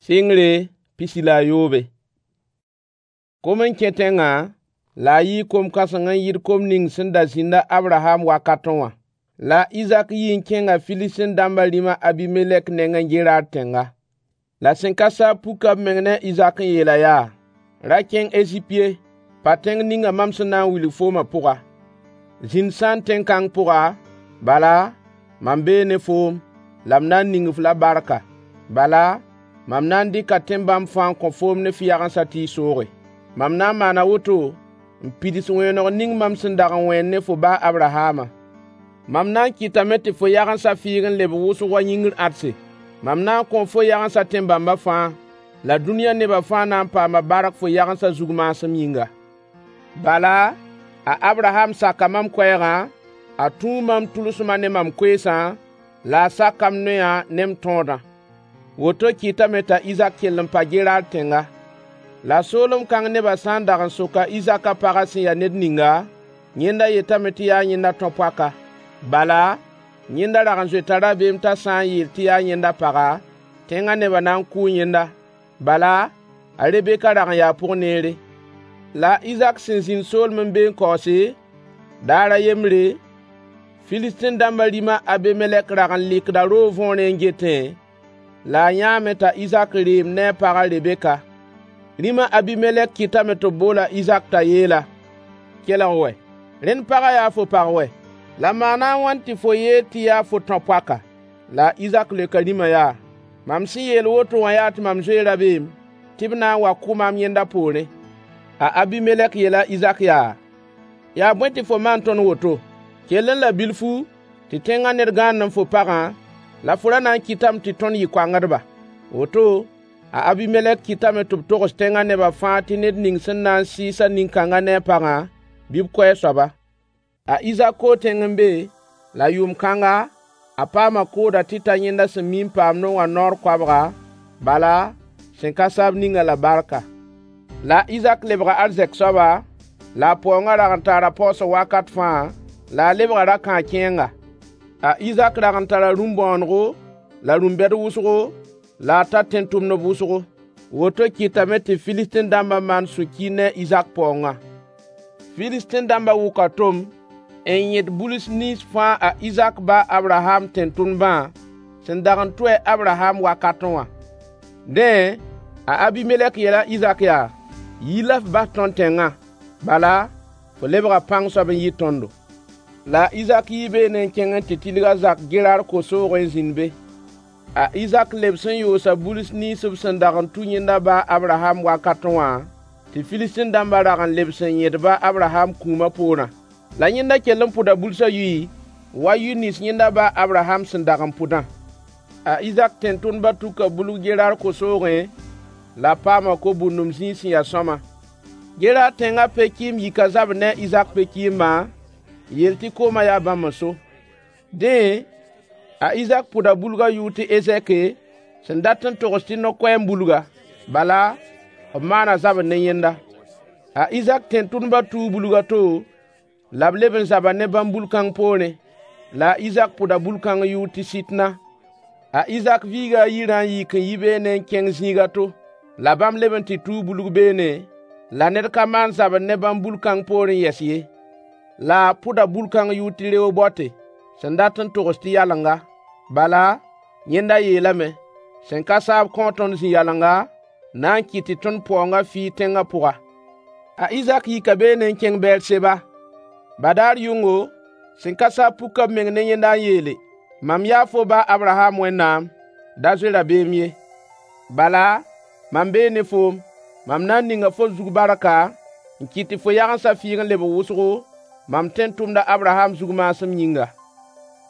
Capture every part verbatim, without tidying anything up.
Sɩngre pisi la a yoobe. Kom n kẽ tẽngã, la a yɩɩ kom-kãseng n yɩɩd kom ning sẽn da zĩnd a Abraham wakatẽ wã. La a Izak yii n kẽnga Filistin dãmbã rĩm a Abimelɛk nengẽ Gerar tẽnga. La sẽn ka saab puka b meng ne a Izak n yeel-a yaa: Ra kẽng Ezip ye, pa tẽng ninga mam sẽn na n wilg foomã pʋga. Zĩnd sãn tẽn-kãng pʋga, bala, mam bee ne foom, la m na n ning-f la barka. Bala, mam na n dɩka tẽn-bãmb fãa n kõ foom ne f yagensã tɩ y sooge. Mam na n maana woto n pids wẽeneg ning mam sẽn dag n wẽen ne fo ba a Abrahamã. Mam na n kɩtame tɩ fo yagensã fɩɩg n lebg wʋsg wa yĩngr ãdse. Mam na n kõo fo yagensã tẽn-bãmbã fãa, la dũniyã nebã fãa na n paama bark fo yagensã zug maasem yĩnga. Bala, a Abraham saka mam koɛɛgã, a tũu mam tʋlsmã ne mam koeesã, la a saka m noyã ne m tõodã. Woto kɩtame t'a Izak kell n pa Gerar tẽnga. La soolem kãng nebã sã n dag n sok a Izak a pagã sẽn ya ned ninga, yẽnda yetame tɩ yaa yẽnda tão-poaka. Bala, yẽnda rag n zoeta rabeem t'a sã n yeel tɩ yaa yẽnda paga, tẽngã nebã na n kʋʋ yẽnda. Bala, a Rebeka rag n yaa pʋg-neere. La a Izak sẽn zĩnd soolem n be n kaoose, daar a yembre, Filistin dãmbã rĩm a Abimelɛk rag n lɩkda roog võorẽ n getẽ, la a yãame t'a Izak reem ne a pag a Rebeka. Rĩm a Abimelɛk kɩtame tɩ b bool a Izak t'a yeel-a: Kelg wɛ, rẽnd pagã yaa fo pag wɛ! La maana a wãn tɩ fo yeel tɩ yaa fo tão-poaka? La a Izak leoka rĩmã yaa: Mam sẽn yeel woto wã yaa tɩ mam zoe rabeem tɩ b na n wa kʋ maam yẽnda poorẽ. A Abimelɛk yeela a Izak yaa: Yaa bõe tɩ fo maan tõnd woto? Kellẽ la bilfu tɩ tẽngã ned gãandẽ fo pagã, la fo ra na n kɩtame tɩ tõnd yɩ koangdba. Woto, a Abimelɛk kɩtame tɩ b togs tẽngã nebã fãa tɩ ned ning sẽn na n sɩɩs-a nin-kãngã ne a pagã, bɩ b kʋ a soaba. A Izak koo tẽng n be, la yʋʋm kãnga, a paama kooda tɩ ta yẽnda sẽn mi n paamdẽ wã naoor koabga, bala, sẽn ka saab ning-a la barka. La a Izak lebga arzɛk soaba, la a paoongã rag n tara paoosg wakat fãa, la a lebga ra-kãag-kẽenga. A Izak rag n tara rũm-bõonego la rũm-bɛd wʋsgo, la a tar tẽn-tʋmdb wʋsgo. Woto kɩtame tɩ Filistin dãmbã maan sũ-kiir ne a Izak paoongã. Filistin dãmbã wʋka tom n yẽd buls nins fãa a Izak ba a Abraham tẽn-tʋmdbã sẽn dag n tʋ a Abraham wakatẽ wã. Dẽ, a Abimelɛk yeela a Izak yaa: Yi la f bas tõnd tẽngã. Bala, fo lebga pãng soab n yɩ tõndo. La a Izak yii beene n kẽng n tɩ tilg a zak Gerar ko-soogẽ n zĩnd be. A Izak lebs n yoosa buls nins b sẽn dag n tũ yẽnda ba a Abraham wakatẽ wã, tɩ Filistin dãmbã rag n lebs n yẽd-ba a Abraham kũumã poorã. La yẽnda kell n pʋda bulsã yʋy wa yʋy nins yẽnda ba a Abraham sẽn dag n pʋdã. A Izak tẽn-tʋmdbã tuka bulg Gerar ko-soogẽ, la b paama ko-bũndum zĩig sẽn ya sõama. Gerar tẽngã pe-kɩɩmb yika zabr ne a Izak pe-kɩɩmbã, n yeel tɩ koomã yaa bãmb n so. Dẽ, a Izak pʋda bulgã yʋʋr tɩ Ezɛke, sẽn dat n togs tɩ no-koɛɛm bulga. Bala, b maana zabr ne yẽnda. A Izak tẽn-tʋmdbã tuu bulg a to, la b leb n zaba ne bãmb bul-kãng poorẽ. La a Izak pʋda bul-kãng yʋʋr tɩ Sɩtna. A Izak viiga a yirã n yik n yi beene n kẽng zĩig a to. La bãmb leb n tɩ tuu bulg beene, la ned ka maan zabr ne bãmb bul-kãng poorẽ yɛs ye. La a pʋda bul-kãng yʋʋr tɩ Reobote, sẽn dat n togs tɩ yalenga. Bala, yẽnda yeelame: Sẽn ka saab kõo tõnd zĩ-yalenga, na n kɩt tɩ tõnd paoongã fɩɩg tẽngã pʋga. A Izak yika beene n kẽng Beɛr-seba. Badaar yʋngo, sẽn ka saab puka b meng ne yẽnda n yeele: Mam yaa fo ba a Abraham Wẽnnaam, da zoe rabeem ye. Bala, mam bee ne foom. Mam na n ninga fo zug barka, n kɩt tɩ fo yagensã fɩɩg n lebg wʋsgo, mam tẽn-tʋmd a Abraham zug maasem yĩnga.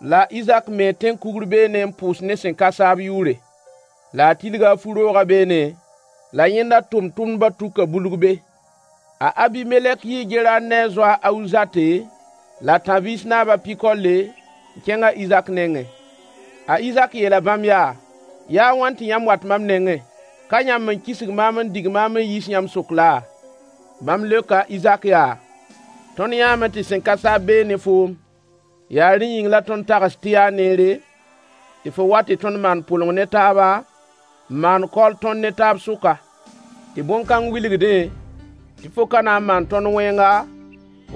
La a Izak mee tẽn-kugr beene n pʋʋs ne sẽn ka saab yʋʋre. La a tilga a fu-roogã beene, la yẽnda tʋmtʋmdbã tuka bulg be. A Abimelɛk yii Gerar ne a zoa a Ahuzate la tãb-biis naab a Pikolle n kẽng a Izak nengẽ. A Izak yeela bãmb yaa: Yaa a wãn tɩ yãmb wat mam nengẽ? Ka yãmb n kisg maam n dig maam n yiis yãmb sʋk laa? Bãmb leoka a Izak yaa: Tõnd yãame tɩ sẽn ka saab bee ne foom. Yaa rẽ yĩng la tõnd tags tɩ yaa neere, tɩ fo wa tɩ tõnd maan pʋleng ne taaba, n maan kaool tõnd ne taab sʋka, tɩ bõn-kãng wilgdẽ tɩ fo ka na n maan tõnd wẽnga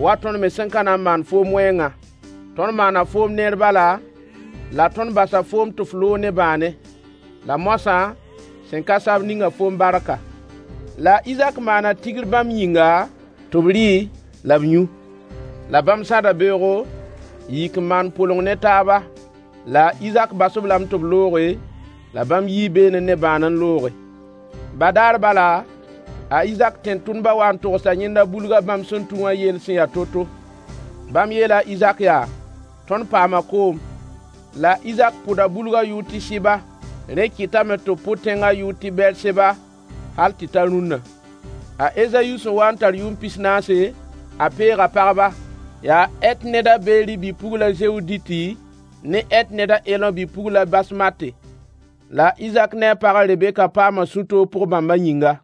wa tõnd me sẽn ka na n maan foom wẽngã. Tõnd maana foom neer bala, la tõnd basa foom tɩ f loog ne bãane. La moasã, sẽn ka sa-b ninga foom barka. La a Izak maana tigr bãmb yĩnga, tɩ b rɩ la b yũ. La bãmb sãda beoogo, n yik n maan pʋleng ne taaba. La a Izak bas-b lame tɩ b looge, la bãmb yii beene ne bãan n looge. Badaar bala, a Izak tẽn-tʋmdbã waa n togsa yẽnda bulga bãmb sẽn tũ wã yell sẽn ya to-to. Bãmb yeela a Izak yaa: Tõnd paama koom. La a Izak pʋda bulgã yʋʋr tɩ Sɩba. Rẽ kɩtame tɩ b pʋd tẽngã yʋʋr tɩ Bɛɛr-seba hal tɩ ta rũnna. A Ezayu sẽn waa n tar yʋʋm pis-naase, a peega pagba. Yaa Hɛt ned a Beeri bi-pugl a Zewditi ne Hɛt ned a Elõ bi-pugl a Basmate. La a Izak ne a pag a Rebeka paama sũ-toog pʋg-bãmbã yĩnga.